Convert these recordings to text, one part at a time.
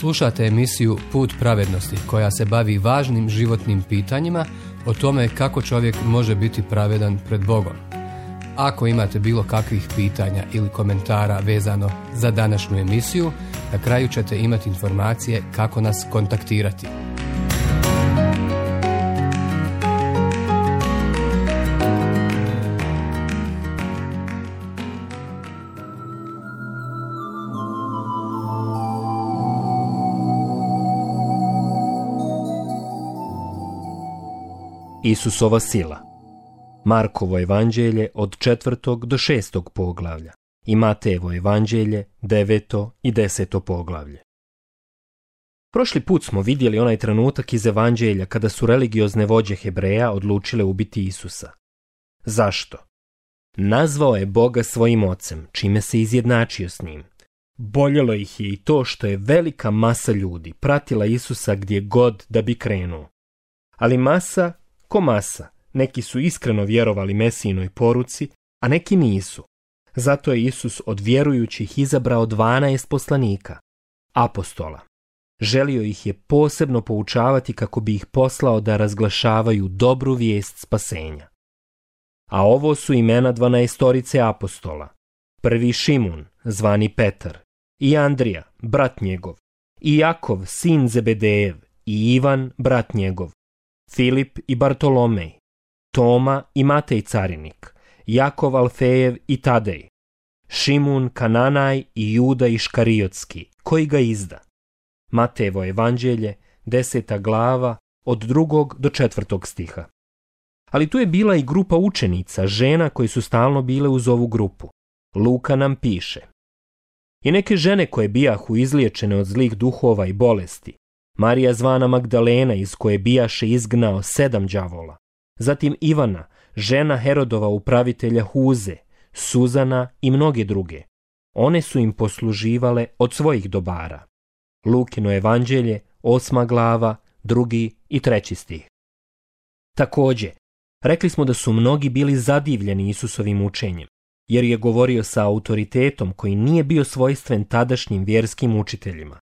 Slušate emisiju Put pravednosti koja se bavi važnim životnim pitanjima o tome kako čovjek može biti pravedan pred Bogom. Ako imate bilo kakvih pitanja ili komentara vezano za današnju emisiju, na kraju ćete imati informacije kako nas kontaktirati. Isusova sila. Markovo evanđelje od 4. do 6. poglavlja i Matejevo evanđelje 9. i 10. poglavlje. Prošli put smo vidjeli onaj trenutak iz evanđelja kada su religiozne vođe Hebreja odlučile ubiti Isusa. Zašto? Nazvao je Boga svojim ocem, čime se izjednačio s njim. Boljelo ih je i to što je velika masa ljudi pratila Isusa gdje god da bi krenuo. Ali masa ko masa, neki su iskreno vjerovali Mesijinoj poruci, a neki nisu. Zato je Isus od vjerujućih izabrao 12 poslanika, apostola. Želio ih je posebno poučavati kako bi ih poslao da razglašavaju dobru vijest spasenja. A ovo su imena 12 apostola. Prvi Šimun, zvani Petar, i Andrija, brat njegov, i Jakov, sin Zebedejev, i Ivan, brat njegov, Filip i Bartolomej, Toma i Matej carinik, Jakov Alfejev i Tadej, Šimun Kananaj i Juda Iškariotski, koji ga izda. Matejevo evanđelje, 10. glava, od 2. do 4. stiha. Ali tu je bila i grupa učenica, žena koji su stalno bile uz ovu grupu. Luka nam piše: i neke žene koje bijahu izliječene od zlih duhova i bolesti, Marija zvana Magdalena, iz koje bijaše izgnao 7 đavola, zatim Ivana, žena Herodova upravitelja Huze, Suzana i mnoge druge. One su im posluživale od svojih dobara. Lukino evanđelje, 8. glava, 2. i 3. stih. Također, rekli smo da su mnogi bili zadivljeni Isusovim učenjem, jer je govorio sa autoritetom koji nije bio svojstven tadašnjim vjerskim učiteljima.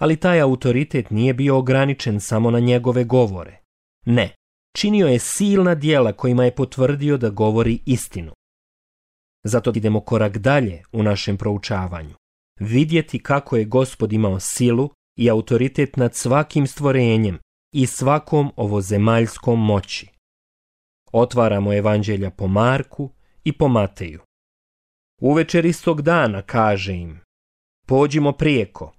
Ali taj autoritet nije bio ograničen samo na njegove govore. Ne, činio je silna djela kojima je potvrdio da govori istinu. Zato idemo korak dalje u našem proučavanju. Vidjeti kako je Gospod imao silu i autoritet nad svakim stvorenjem i svakom ovozemaljskom moći. Otvaramo evanđelja po Marku i po Mateju. Uvečer istog dana kaže im: pođimo prijeko.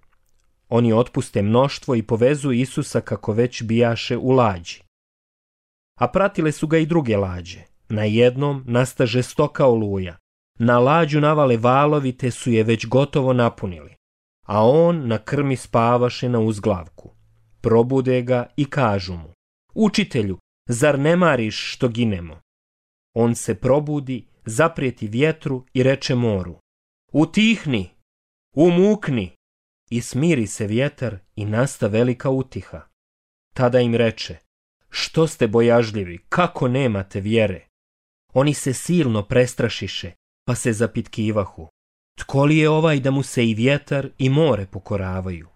Oni otpuste mnoštvo i povezu Isusa kako već bijaše u lađi. A pratile su ga i druge lađe. Na jednom nasta žestoka oluja. Na lađu navale valovi te su je već gotovo napunili. A on na krmi spavaše na uzglavku. Probude ga i kažu mu: učitelju, zar ne mariš što ginemo? On se probudi, zaprijeti vjetru i reče moru: utihni, umukni. I smiri se vjetar i nasta velika utiha. Tada im reče: što ste bojažljivi, kako nemate vjere? Oni se silno prestrašiše, pa se zapitkivahu: tko li je ovaj da mu se i vjetar i more pokoravaju?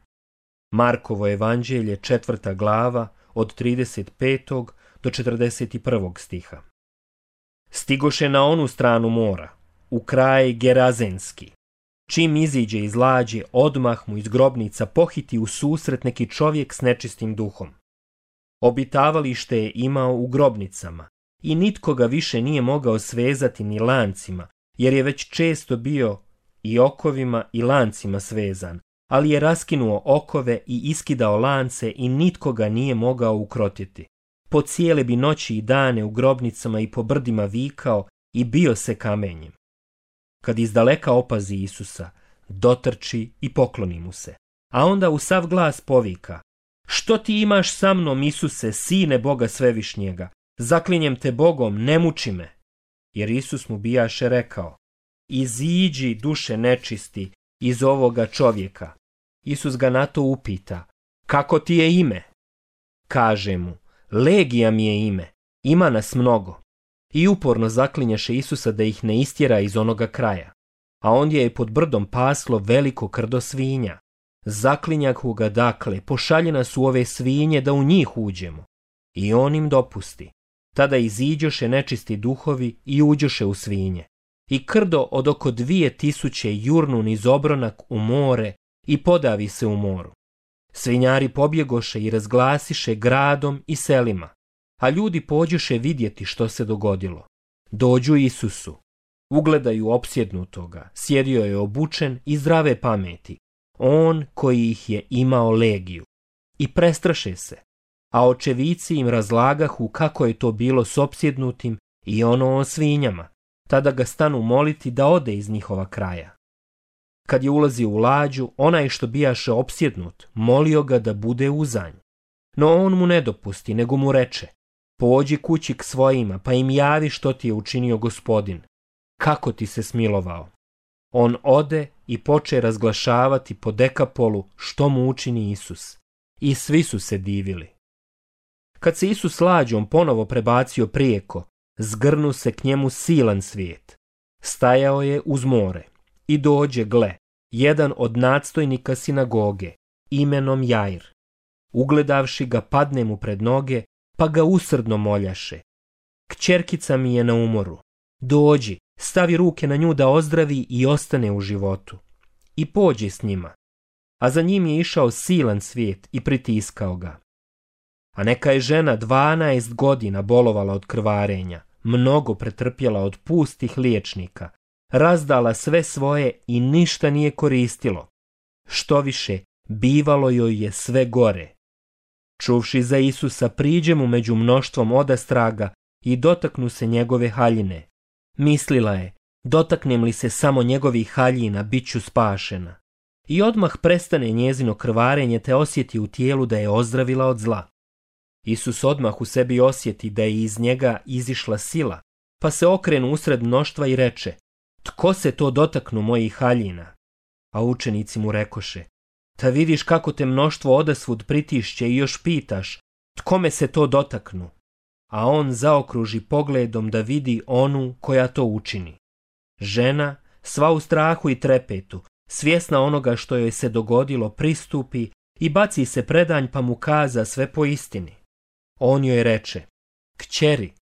Markovo evanđelje, 4. glava, od 35. do 41. stiha. Stigoše na onu stranu mora, u kraj Gerazenski. Čim iziđe iz lađe, odmah mu iz grobnica pohiti u susret neki čovjek s nečistim duhom. Obitavalište je imao u grobnicama i nitko ga više nije mogao svezati ni lancima, jer je već često bio i okovima i lancima svezan, ali je raskinuo okove i iskidao lance i nitko ga nije mogao ukrotiti. Po cijele bi noći i dane u grobnicama i po brdima vikao i bio se kamenjem. Kad izdaleka opazi Isusa, dotrči i pokloni mu se. A onda u sav glas povika: što ti imaš sa mnom, Isuse, sine Boga svevišnjega? Zaklinjem te Bogom, ne muči me. Jer Isus mu bijaše rekao: iziđi, duše nečisti, iz ovoga čovjeka. Isus ga na to upita: kako ti je ime? Kaže mu: Legija mi je ime, ima nas mnogo. I uporno zaklinjaše Isusa da ih ne istjera iz onoga kraja. A ondje je pod brdom paslo veliko krdo svinja. Zaklinjahu ga dakle, pošalje nas u ove svinje da u njih uđemo. I on im dopusti. Tada iziđoše nečisti duhovi i uđoše u svinje. I krdo od oko 2000 jurnu niz obronak u more i podavi se u moru. Svinjari pobjegoše i razglasiše gradom i selima, a ljudi pođoše vidjeti što se dogodilo. Dođu Isusu, ugledaju opsjednutoga, sjedio je obučen i zdrave pameti, on koji ih je imao legiju. I prestraše se, a očevici im razlagahu kako je to bilo s opsjednutim i ono o svinjama. Tada ga stanu moliti da ode iz njihova kraja. Kad je ulazio u lađu, onaj što bijaše opsjednut, molio ga da bude uzanj. No on mu ne dopusti, nego mu reče, pođi kući k svojima, pa im javi što ti je učinio Gospodin, kako ti se smilovao. On ode i poče razglašavati po Dekapolu što mu učini Isus. I svi su se divili. Kad se Isus lađom ponovo prebacio prijeko, zgrnu se k njemu silan svijet. Stajao je uz more i dođe, gle, jedan od nadstojnika sinagoge, imenom Jair. Ugledavši ga, padne mu pred noge, pa ga usrdno moljaše. Kćerkica mi je na umoru. Dođi, stavi ruke na nju da ozdravi i ostane u životu. I pođe s njima. A za njim je išao silan svijet i pritiskao ga. A neka je žena 12 godina bolovala od krvarenja, mnogo pretrpjela od pustih liječnika, razdala sve svoje i ništa nije koristilo. Što više, bivalo joj je sve gore. Čuvši za Isusa, priđe mu među mnoštvom odastraga i dotaknu se njegove haljine. Mislila je, dotaknem li se samo njegovih haljina, bit ću spašena. I odmah prestane njezino krvarenje te osjeti u tijelu da je ozdravila od zla. Isus odmah u sebi osjeti da je iz njega izišla sila, pa se okrenu usred mnoštva i reče, tko se to dotaknu mojih haljina? A učenici mu rekoše, ta vidiš kako te mnoštvo odasvud pritišće i još pitaš, tkome se to dotaknu? A on zaokruži pogledom da vidi onu koja to učini. Žena, sva u strahu i trepetu, svjesna onoga što joj se dogodilo, pristupi i baci se predanj pa mu kaza sve po istini. On joj reče, kćeri,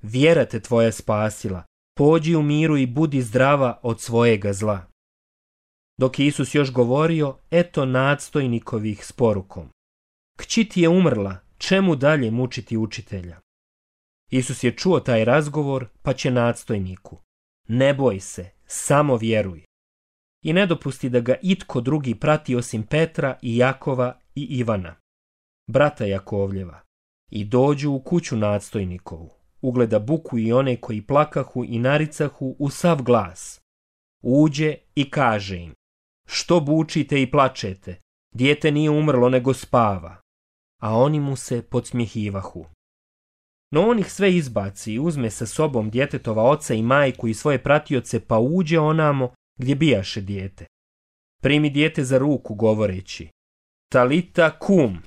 vjera te tvoja spasila, pođi u miru i budi zdrava od svojega zla. Dok je Isus još govorio, eto nadstojnikovih s porukom. Kći ti je umrla, čemu dalje mučiti učitelja? Isus je čuo taj razgovor, pa će nadstojniku. Ne boj se, samo vjeruj. I ne dopusti da ga itko drugi prati osim Petra i Jakova i Ivana, brata Jakovljeva. I dođu u kuću nadstojnikovu. Ugleda buku i one koji plakahu i naricahu u sav glas. Uđe i kaže im, što bučite i plačete, dijete nije umrlo nego spava. A oni mu se podsmjehivahu. No on ih sve izbaci i uzme sa sobom djetetova oca i majku i svoje pratioce, pa uđe onamo gdje bijaše dijete. Primi dijete za ruku govoreći, talita kum,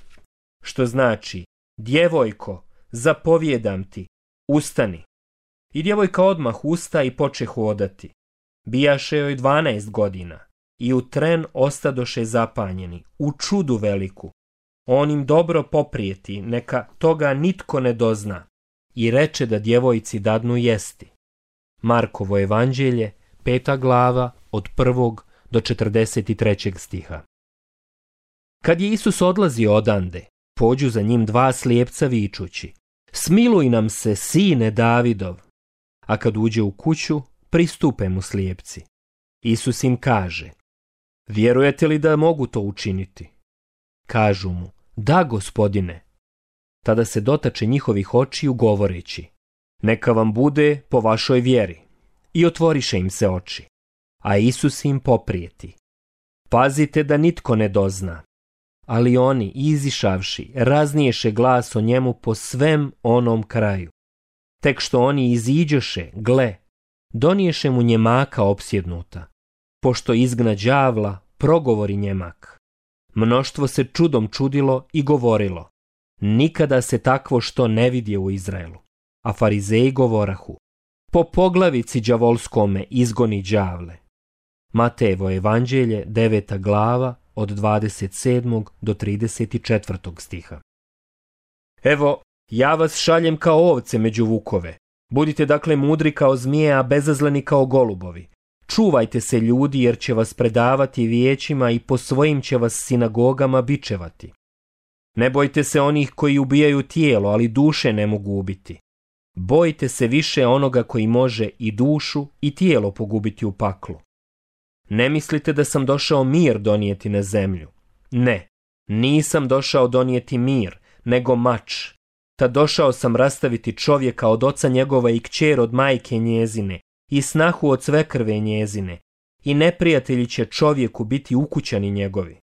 što znači, djevojko, zapovjedam ti, ustani. I djevojka odmah usta i poče hodati. Bijaše joj 12 godina i u tren ostadoše zapanjeni, u čudu veliku. On im dobro poprijeti, neka toga nitko ne dozna, i reče da djevojci dadnu jesti. Markovo evanđelje, 5. glava, od 1. do 43. stiha. Kad je Isus odlazio odande, pođu za njim 2 slijepca vičući, smiluj nam se, sine Davidov. A kad uđe u kuću, pristupe mu slijepci. Isus im kaže, vjerujete li da mogu to učiniti? Kažu mu, da, Gospodine. Tada se dotače njihovih očiju govoreći, neka vam bude po vašoj vjeri. I otvoriše im se oči. A Isus im poprijeti, pazite da nitko ne dozna. Ali oni, izišavši, razniješe glas o njemu po svem onom kraju. Tek što oni iziđoše, gle, doniješe mu njemaka opsjednuta. Pošto izgna đavla, progovori njemak. Mnoštvo se čudom čudilo i govorilo, nikada se takvo što ne vidje u Izraelu. A farizeji govorahu, po poglavici đavolskome izgoni đavle. Matejevo evanđelje, 9. glava, od 27. do 34. stiha. Evo, ja vas šaljem kao ovce među vukove. Budite dakle mudri kao zmije, a bezazleni kao golubovi. Čuvajte se ljudi, jer će vas predavati vijećima i po svojim će vas sinagogama bičevati. Ne bojte se onih koji ubijaju tijelo, ali duše ne mogu ubiti. Bojte se više onoga koji može i dušu i tijelo pogubiti u paklu. Ne mislite da sam došao mir donijeti na zemlju. Ne, nisam došao donijeti mir, nego mač. Ta došao sam rastaviti čovjeka od oca njegova i kćer od majke njezine, i snahu od svekrve njezine, i neprijatelji će čovjeku biti ukućani njegovi.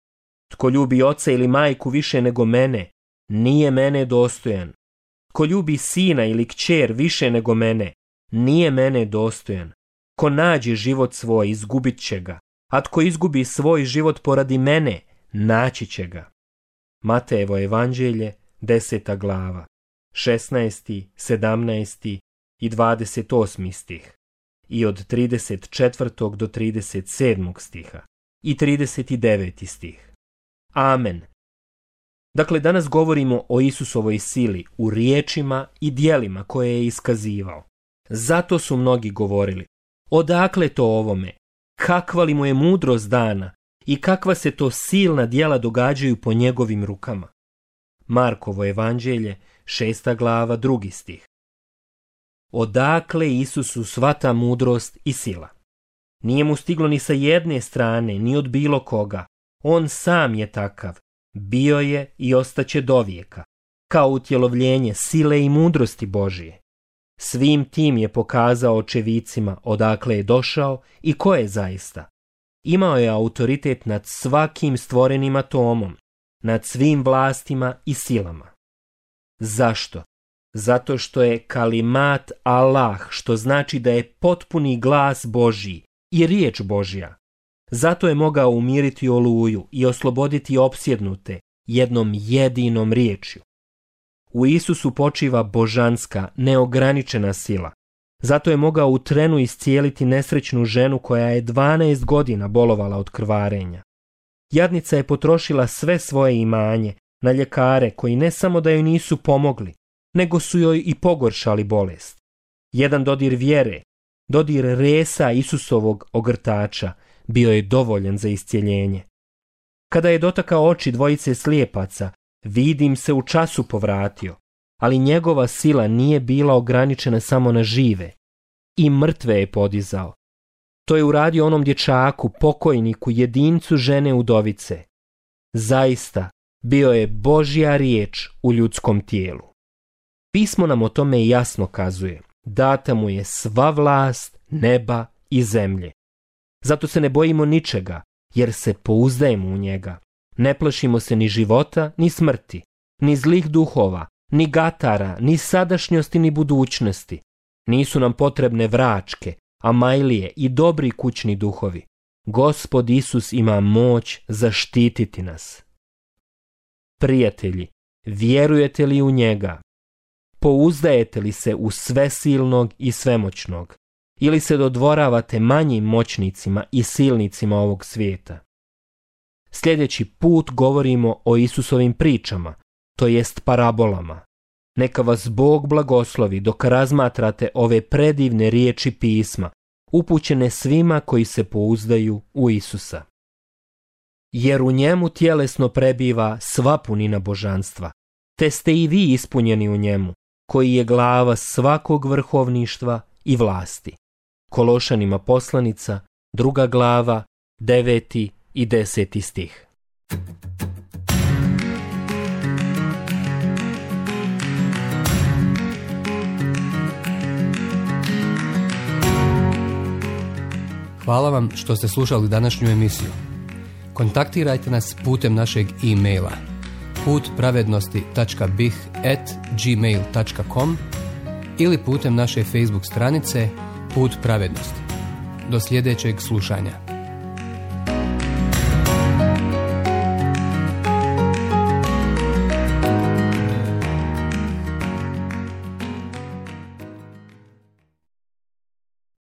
Tko ljubi oca ili majku više nego mene, nije mene dostojan. Ko ljubi sina ili kćer više nego mene, nije mene dostojan. Ko nađe život svoj, izgubit će ga, a tko izgubi svoj život poradi mene, naći će ga. Matejevo evanđelje, 10. glava, 16., 17. i 28. stih, i od 34. do 37. stiha, i 39. stih. Amen. Dakle, danas govorimo o Isusovoj sili u riječima i djelima koje je iskazivao. Zato su mnogi govorili, odakle to ovome, kakva li mu je mudrost dana i kakva se to silna djela događaju po njegovim rukama. Markovo evanđelje, 6. glava, 2. stih. Odakle Isusu sva ta mudrost i sila? Nije mu stiglo ni sa jedne strane, ni od bilo koga. On sam je takav, bio je i ostaće dovijeka, kao utjelovljenje sile i mudrosti Božije. Svim tim je pokazao očevicima odakle je došao i ko je zaista. Imao je autoritet nad svakim stvorenim atomom, nad svim vlastima i silama. Zašto? Zato što je kalimat Allah, što znači da je potpuni glas Božji i riječ Božja. Zato je mogao umiriti oluju i osloboditi opsjednute jednom jedinom riječju. U Isusu počiva božanska, neograničena sila. Zato je mogao u trenu iscijeliti nesrećnu ženu koja je 12 godina bolovala od krvarenja. Jadnica je potrošila sve svoje imanje na ljekare koji ne samo da joj nisu pomogli, nego su joj i pogoršali bolest. Jedan dodir vjere, dodir resa Isusovog ogrtača, bio je dovoljan za iscijeljenje. Kada je dotakao oči dvojice slijepaca, vid im se u času povratio, ali njegova sila nije bila ograničena samo na žive. I mrtve je podizao. To je uradio onom dječaku, pokojniku, jedincu žene udovice. Zaista, bio je Božja riječ u ljudskom tijelu. Pismo nam o tome jasno kazuje. Data mu je sva vlast neba i zemlje. Zato se ne bojimo ničega, jer se pouzdajemo u njega. Ne plašimo se ni života, ni smrti, ni zlih duhova, ni gatara, ni sadašnjosti, ni budućnosti. Nisu nam potrebne vračke, amajlije i dobri kućni duhovi. Gospod Isus ima moć zaštititi nas. Prijatelji, vjerujete li u njega? Pouzdajete li se u svesilnog i svemoćnog? Ili se dodvoravate manjim moćnicima i silnicima ovog svijeta? Sljedeći put govorimo o Isusovim pričama, to jest parabolama. Neka vas Bog blagoslovi dok razmatrate ove predivne riječi pisma, upućene svima koji se pouzdaju u Isusa. Jer u njemu tjelesno prebiva sva punina božanstva, te ste i vi ispunjeni u njemu, koji je glava svakog vrhovništva i vlasti. Kološanima poslanica, 2. glava, 9. i 10. stih. Hvala vam što ste slušali današnju emisiju. Kontaktirajte nas putem našeg e-maila putpravednosti.bih@gmail.com ili putem naše Facebook stranice Put pravednosti. Do sljedećeg slušanja.